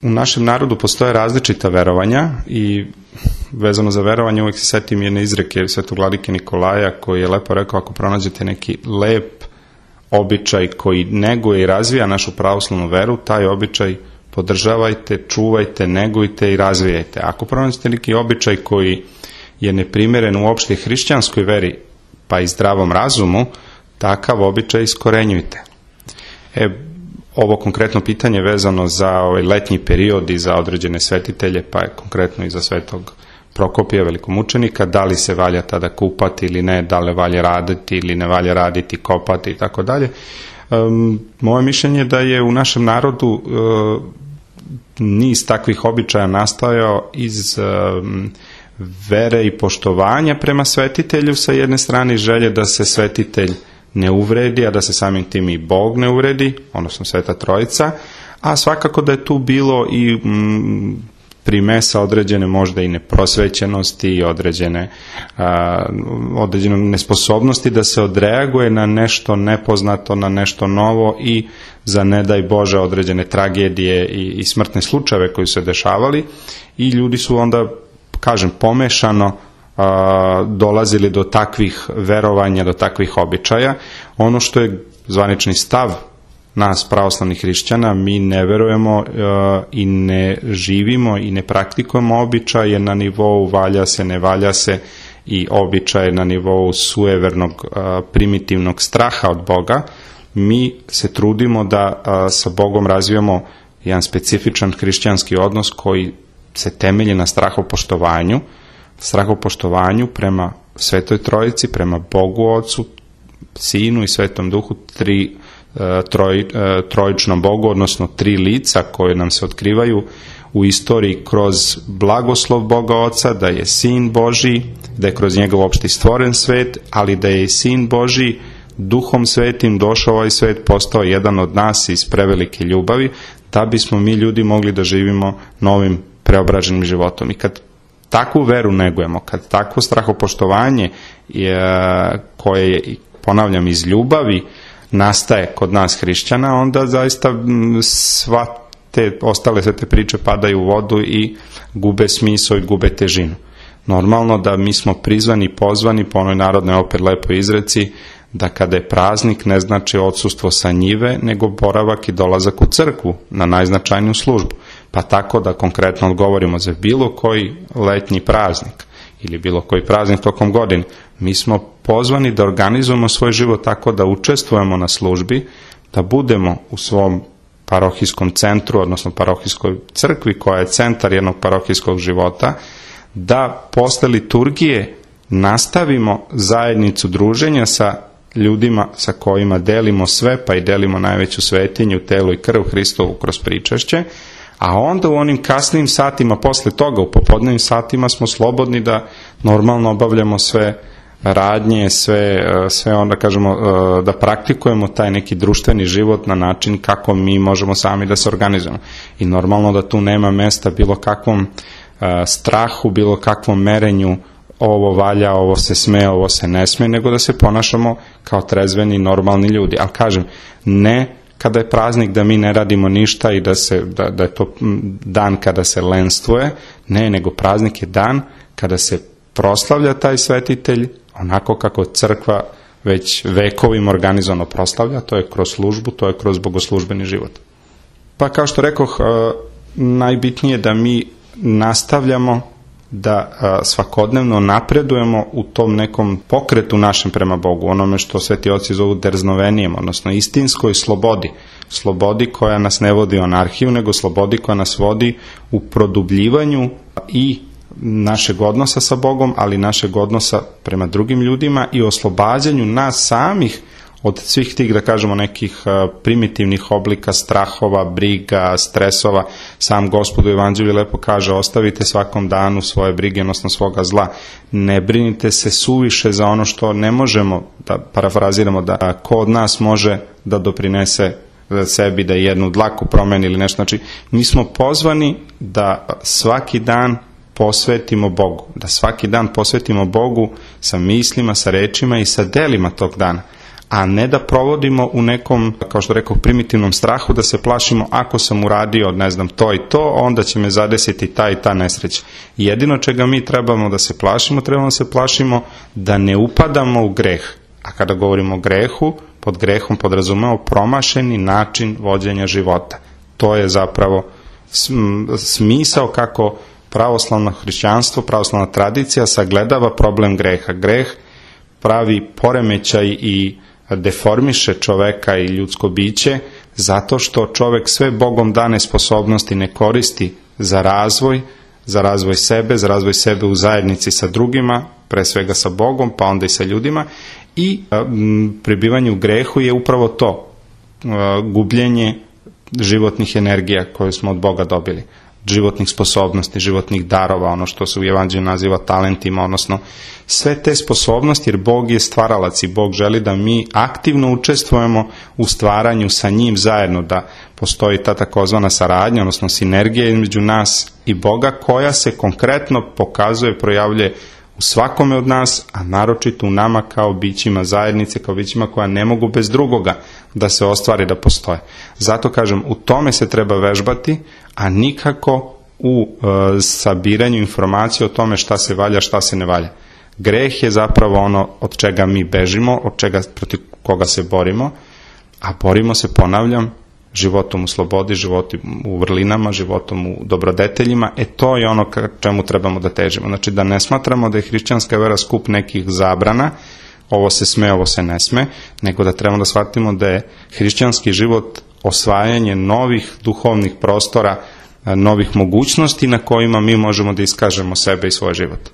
U našem narodu postoje različita verovanja i vezano za verovanje uvijek se setim jedne izreke svetog vladike Nikolaja koji je lepo rekao: ako pronađete neki lep običaj koji neguje i razvija našu pravoslavnu veru, taj običaj podržavajte, čuvajte, negujte i razvijajte. Ako pronađete neki običaj koji je neprimeren u opšte hrišćanskoj veri pa i zdravom razumu, takav običaj iskorenjujte. Ovo konkretno pitanje vezano za ovaj letnji period i za određene svetitelje, pa je konkretno i za svetog Prokopija, velikomučenika, da li se valja tada kupati ili ne, da li valja raditi ili ne valja raditi, kopati i tako dalje. Moje mišljenje je da je u našem narodu niz takvih običaja nastajao iz vere i poštovanja prema svetitelju sa jedne strane, želje da se svetitelj ne uvredi, a da se samim tim i Bog ne uvredi, odnosno Sveta Trojica, a svakako da je tu bilo i primesa određene možda i neprosvećenosti, određene nesposobnosti da se odreaguje na nešto nepoznato, na nešto novo i za ne daj Bože određene tragedije i smrtne slučajeve koji su se dešavali i ljudi su onda, kažem, pomešano dolazili do takvih verovanja, do takvih običaja. Ono što je zvanični stav nas pravoslavnih hrišćana, mi ne verujemo i ne živimo i ne praktikujemo običaje na nivou valja se, ne valja se i običaje na nivou sujevernog primitivnog straha od Boga. Mi se trudimo da sa Bogom razvijamo jedan specifičan hrišćanski odnos koji se temelji na strahopoštovanju prema Svetoj Trojici, prema Bogu Ocu, Sinu i Svetom Duhu, trojičnom Bogu, odnosno tri lica koje nam se otkrivaju u istoriji kroz blagoslov Boga Oca, da je Sin Božji, da je kroz njega uopšte stvoren svet, ali da je i Sin Božji Duhom Svetim došao ovaj svet, postao jedan od nas iz prevelike ljubavi, da bismo mi ljudi mogli da živimo novim preobraženim životom. I kad takvu veru negujemo, kad takvo strahopoštovanje koje je, ponavljam, iz ljubavi nastaje kod nas hrišćana, onda zaista sva te ostale sve te priče padaju u vodu i gube smisao i gube težinu. Normalno da mi smo prizvani i pozvani po onoj narodnoj opet lepoj izreci da kada je praznik ne znači odsustvo sa njive, nego boravak i dolazak u crkvu na najznačajniju službu. Pa tako da konkretno odgovorimo za bilo koji letnji praznik ili bilo koji praznik tokom godine. Mi smo pozvani da organizujemo svoj život tako da učestvujemo na službi, da budemo u svom parohijskom centru, odnosno parohijskoj crkvi koja je centar jednog parohijskog života, da posle liturgije nastavimo zajednicu druženja sa ljudima sa kojima delimo sve, pa i delimo najveću svetinju, telo i krv Hristovu kroz pričašće, a onda u onim kasnim satima posle toga, u popodnevnim satima smo slobodni da normalno obavljamo sve radnje, sve onda kažemo da praktikujemo taj neki društveni život na način kako mi možemo sami da se organizujemo. I normalno da tu nema mesta bilo kakvom strahu, bilo kakvom merenju ovo valja, ovo se sme, ovo se ne sme, nego da se ponašamo kao trezveni, normalni ljudi. Ali kažem, ne kada je praznik da mi ne radimo ništa i da je to dan kada se lenstvuje, ne, nego praznik je dan kada se proslavlja taj svetitelj onako kako crkva već vekovima organizovano proslavlja, to je kroz službu, to je kroz bogoslužbeni život. Pa kao što rekoh, najbitnije je da mi nastavljamo da svakodnevno napredujemo u tom nekom pokretu našem prema Bogu, onome što sveti oci zovu derznovenijem, odnosno istinskoj slobodi koja nas ne vodi u anarhiju, nego slobodi koja nas vodi u produbljivanju i našeg odnosa sa Bogom, ali našeg odnosa prema drugim ljudima i oslobađanju nas samih od svih tih, da kažemo, nekih primitivnih oblika strahova, briga, stresova. Sam Gospod u Evanđelju lepo kaže: ostavite svakom danu svoje brige, odnosno svoga zla. Ne brinite se suviše za ono što ne možemo, da parafraziramo, da ko od nas može da doprinese sebi da jednu dlaku promeni ili nešto. Znači, mi smo pozvani da svaki dan posvetimo Bogu, da svaki dan posvetimo Bogu sa mislima, sa rečima i sa delima tog dana. a ne da provodimo u nekom, kao što rekao, primitivnom strahu, da se plašimo ako sam uradio, ne znam, to i to, onda će me zadesiti ta i ta nesreća. Jedino čega mi trebamo da se plašimo da ne upadamo u greh. A kada govorimo o grehu, pod grehom podrazumemo promašeni način vođenja života. To je zapravo smisao kako pravoslavno hrišćanstvo, pravoslavna tradicija sagledava problem greha. Greh pravi poremećaj i deformiše čoveka i ljudsko biće zato što čovek sve Bogom dane sposobnosti ne koristi za razvoj sebe u zajednici sa drugima, pre svega sa Bogom, pa onda i sa ljudima, i prebivanje u grehu je upravo to, gubljenje životnih energija koje smo od Boga dobili, životnih sposobnosti, životnih darova, ono što se u Evanđelju naziva talentima, odnosno sve te sposobnosti, jer Bog je stvaralac i Bog želi da mi aktivno učestvujemo u stvaranju sa njim zajedno, da postoji ta takozvana saradnja, odnosno sinergija između nas i Boga, koja se konkretno pokazuje, projavljuje u svakome od nas, a naročito u nama kao bićima zajednice, kao bićima koja ne mogu bez drugoga da se ostvari, da postoje. Zato kažem, u tome se treba vežbati, a nikako u sabiranju informacije o tome šta se valja, šta se ne valja. Greh je zapravo ono od čega mi bežimo, protiv koga se borimo, a borimo se, ponavljam, životom u slobodi, životom u vrlinama, životom u dobrodeteljima. To je ono čemu trebamo da težimo. Znači da ne smatramo da je hrišćanska vera skup nekih zabrana, ovo se sme, ovo se ne sme, nego da trebamo da shvatimo da je hrišćanski život osvajanje novih duhovnih prostora, novih mogućnosti na kojima mi možemo da iskažemo sebe i svoj život.